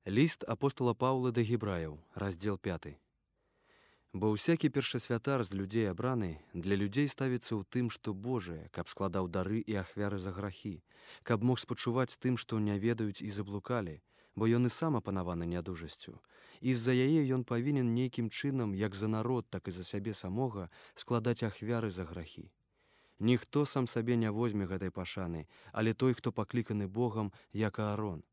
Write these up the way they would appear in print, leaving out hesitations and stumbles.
Ліст апостола Паўла да гебраяў, раздзел 5. Бо ўсякі першасвятар з людзей абраны для людзей ставіцца ў тым, што Божае, каб складаў дары і ахвяры за грахі, каб мог спачуваць тым, што не ведаюць і заблукалі, бо ён і сам апанаваны нядужасцю. І з-за яе ён павінен нейкім чынам, як за народ, так і за сябе самога, складаць ахвяры за грахі. Ніхто сам сабе не возьме гэтай пашаны, але той, хто пакліканы Богам, як Аарон.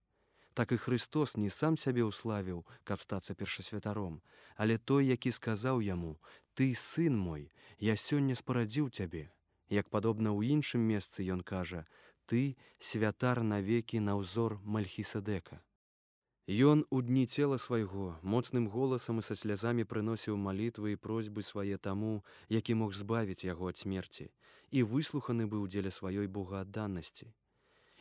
Так і Христос не сам сябе ўславіў, каб стацца першасвятаром, але той, які сказаў яму: «Ты, сын мой, я сёння спарадзіў цябе». Як падобна ў іншым месцы ён кажа: «Ты, святар навекі на ўзор Мальхіседека». Ён у дні цела свайго моцным голасам і са слязамі прыносіў малітвы і просьбы свае таму, які мог збавіць яго ад смерці, і выслуханы быў дзеля сваёй богаадданасці.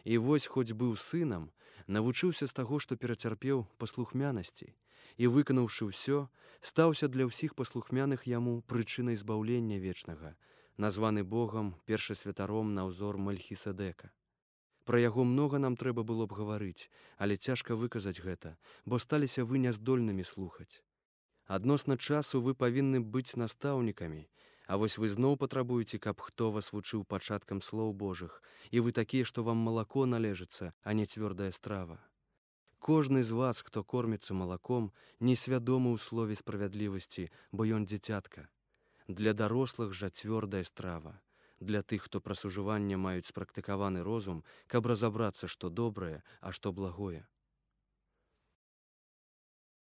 І вось, хоць быў сынам, навучыўся з таго, што перацярпеў паслухмянасці, і, выканаўшы ўсё, стаўся для ўсіх паслухмяных яму прычынай збаўлення вечнага, названы Богам першасвятаром на ўзор Мальхіседека. Пра яго многа нам трэба было б гаварыць, але цяжка выказаць гэта, бо сталіся вы няздольнымі слухаць. Адносна часу вы павінны быць настаўнікамі, а вось вы зноў патрабуеце, каб хто вас вучыў пачаткам слоў Божых, і вы такія, што вам малако належыцца, а не цвёрдая страва. Кожны з вас, хто корміцца малаком, несвядомы ў слове справядлівасці, бо ён дзіцятка. Для дарослых жа цвёрдая страва. Для тых, хто праз ужыванне маюць спрактыкаваны розум, каб разабрацца, што добрае, а што благое.